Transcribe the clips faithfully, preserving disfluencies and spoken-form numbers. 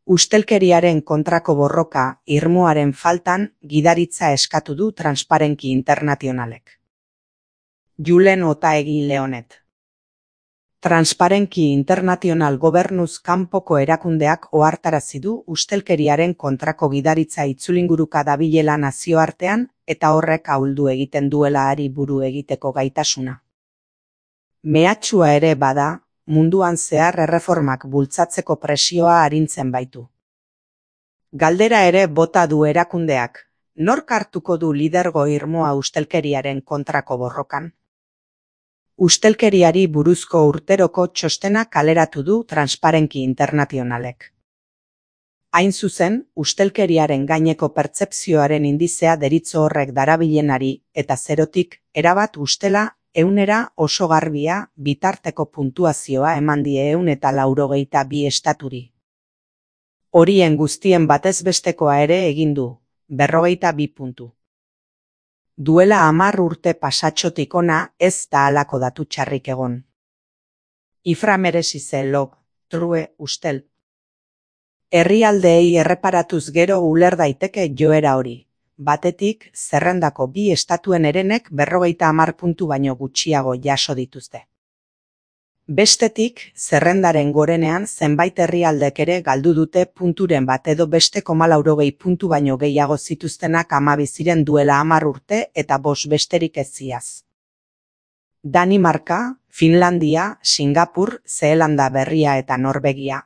Ustelkeriaren kontrako borroka irmoaren faltan gidaritza eskatu du Transparency Internationalek. Julen Otaegi Leonet. Transparency International gobernuz kanpoko erakundeak ohartarazi du ustelkeriaren kontrako gidaritza itzulinguruka dabilela nazioartean eta horrek ahuldu egiten duela hari buru egiteko gaitasuna. Mehatxua ere bada, munduan zehar erreformak bultzatzeko presioa arintzen baitu. Galdera ere bota du erakundeak, nork hartuko du lidergo irmoa ustelkeriaren kontrako borrokan? Ustelkeriari buruzko urteroko txostena kaleratu du Transparency Internationalek. Hain zuzen, ustelkeriaren gaineko pertzepzioaren indizea deritzo horrek darabilenari eta zerotik erabat ustela eunera oso garbia bitarteko puntuazioa eman die ehun eta laurogeita bi estaturi. Horien guztien batez bestekoa ere egin du, berrogeita bi puntu. Duela hamar urte pasatxotik ona ez da halako datu txarrik egon. Ifra merezi ze log, true ustel. Herrialdeei erreparatuz gero uler daiteke joera hori. Batetik, zerrendako bi estatuen herenek berrogeita hamar puntu baino gutxiago jaso dituzte. Bestetik, zerrendaren gorenean zenbait herrialdek ere galdu dute punturen bat edo beste komalaurogei puntu baino gehiago zituztenak hamabi ziren duela hamar urte eta bost besterik ez ziaz. Danimarka, Finlandia, Singapur, Zeelanda Berria eta Norvegia.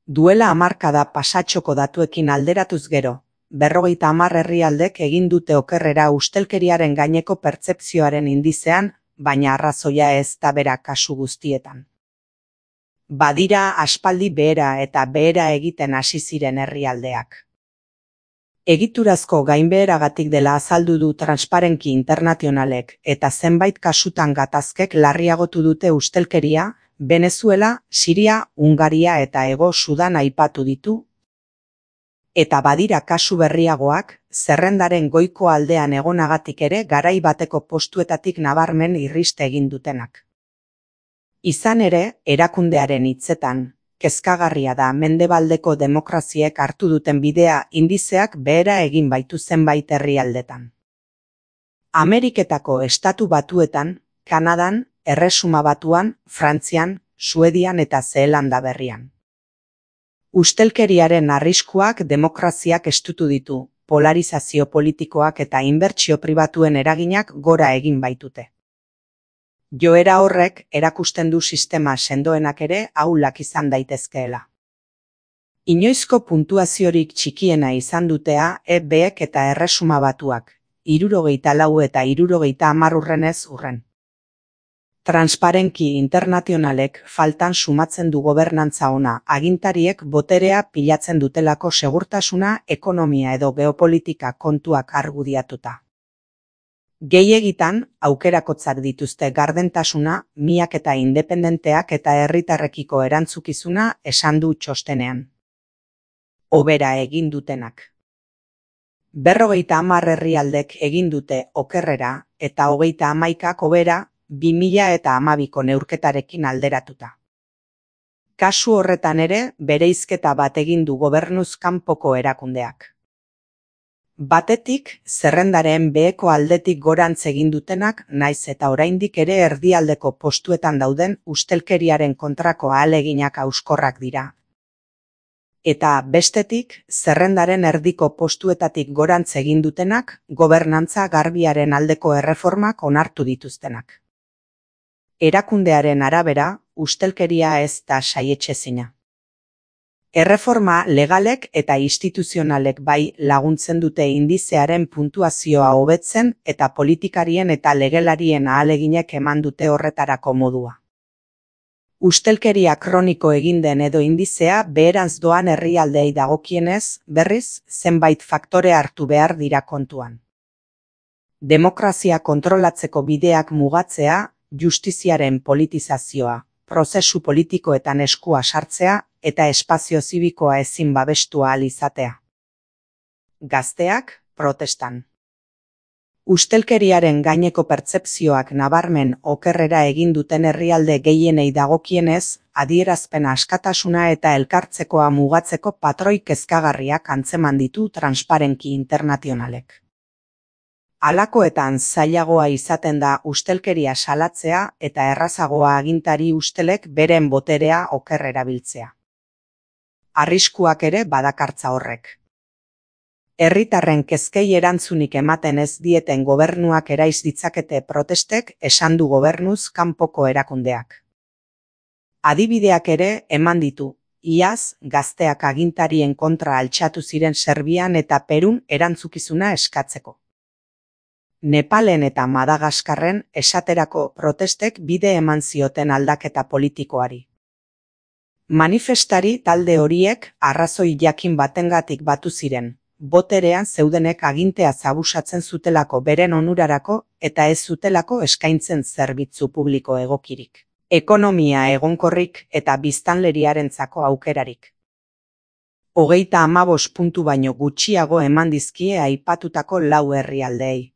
Duela hamarkada pasatxoko datuekin alderatuz gero, berrogeita hamar herrialdek egin dute okerrera ustelkeriaren gaineko pertzepzioaren indizean, baina arrazoia ez da bera kasu guztietan. Badira aspaldi behera eta behera egiten hasi ziren herrialdeak. Egiturazko gainbeheragatik dela azaldu du Transparency Internationalek eta zenbait kasutan gatazkek larriagotu dute ustelkeria, Venezuela, Siria, Hungaria eta Hego Sudan aipatu ditu. Eta badira kasu berriagoak, zerrendaren goiko aldean egonagatik ere garai bateko postuetatik nabarmen irriste egin dutenak. Izan ere, erakundearen hitzetan, kezkagarria da mendebaldeko demokraziek hartu duten bidea indizeak behera egin baitu zenbait herrialdetan. Ameriketako estatu batuetan, Kanadan, Erresuma Batuan, Frantzian, Suedian eta Zeelanda Berrian. Ustelkeriaren arriskuak demokraziak estutu ditu, polarizazio politikoak eta inbertsio pribatuen eraginak gora egin baitute. Joera horrek erakusten du sistema sendoenak ere ahulak izan daitezkeela. Inoizko puntuaziorik txikiena izan dutea E Bek eta Erresuma Batuak, hirurogeita lau eta hirurogeita hamar urrenez urren. Transparency Internationalek faltan sumatzen du gobernantza ona, agintariek boterea pilatzen dutelako segurtasuna, ekonomia edo geopolitika kontuak argudiatuta. Gehiegitan, aukerakotzak dituzte gardentasuna, miaketa independenteak eta herritarrekiko erantzukizuna esan du txostenean. Hobera egin dutenak. Berrogeita hamar herrialdek egin dute okerrera eta hogeita hamaikak hobera, bi mila eta hamabiko neurketarekin alderatuta. Kasu horretan ere, bereizketa bat egin du gobernuz kanpoko erakundeak. Batetik, zerrendaren beheko aldetik gorantz egin dutenak, naiz eta oraindik ere erdialdeko postuetan dauden ustelkeriaren kontrako ahaleginak hauskorrak dira. Eta bestetik, zerrendaren erdiko postuetatik gorantz egin dutenak, gobernantza garbiaren aldeko erreformak onartu dituztenak. Erakundearen arabera, ustelkeria ez da saietsezina. Erreforma legalek eta instituzionalek bai laguntzen dute indizearen puntuazioa hobetzen eta politikarien eta legelarien ahaleginek eman dute horretarako modua. Ustelkeria kroniko egin den edo indizea beherantz doan herrialdei dagokienez, berriz, zenbait faktore hartu behar dira kontuan. Demokrazia kontrolatzeko bideak mugatzea, justiziaren politizazioa, prozesu politikoetan eskua sartzea eta espazio zibikoa ezin babestua ahal izatea. Gazteak, protestan. Ustelkeriaren gaineko pertzepzioak nabarmen okerrera egin duten herrialde gehienei dagokienez, adierazpen askatasuna eta elkartzekoa mugatzeko patroi kezkagarriak antzeman ditu Transparency Internationalek. Halakoetan zailagoa izaten da ustelkeria salatzea eta errazagoa agintari ustelek beren boterea oker erabiltzea. Arriskuak ere badakartza horrek. Herritarren kezkei erantzunik ematen ez dieten gobernuak eraiz ditzakete protestek, esan du gobernuz kanpoko erakundeak. Adibideak ere eman ditu, iaz gazteak agintarien kontra altxatu ziren Serbian eta Perun erantzukizuna eskatzeko. Nepalen eta Madagaskarren esaterako protestek bide eman zioten aldaketa politikoari. Manifestari talde horiek arrazoi jakin batengatik batu ziren. Boterean zeudenek agintea zabusatzen zutelako beren onurarako eta ez zutelako eskaintzen zerbitzu publiko egokirik, ekonomia egonkorrik eta biztanleriarentzako aukerarik. Hogeita hamabost puntu baino gutxiago eman dizkie aipatutako lau herrialdeei.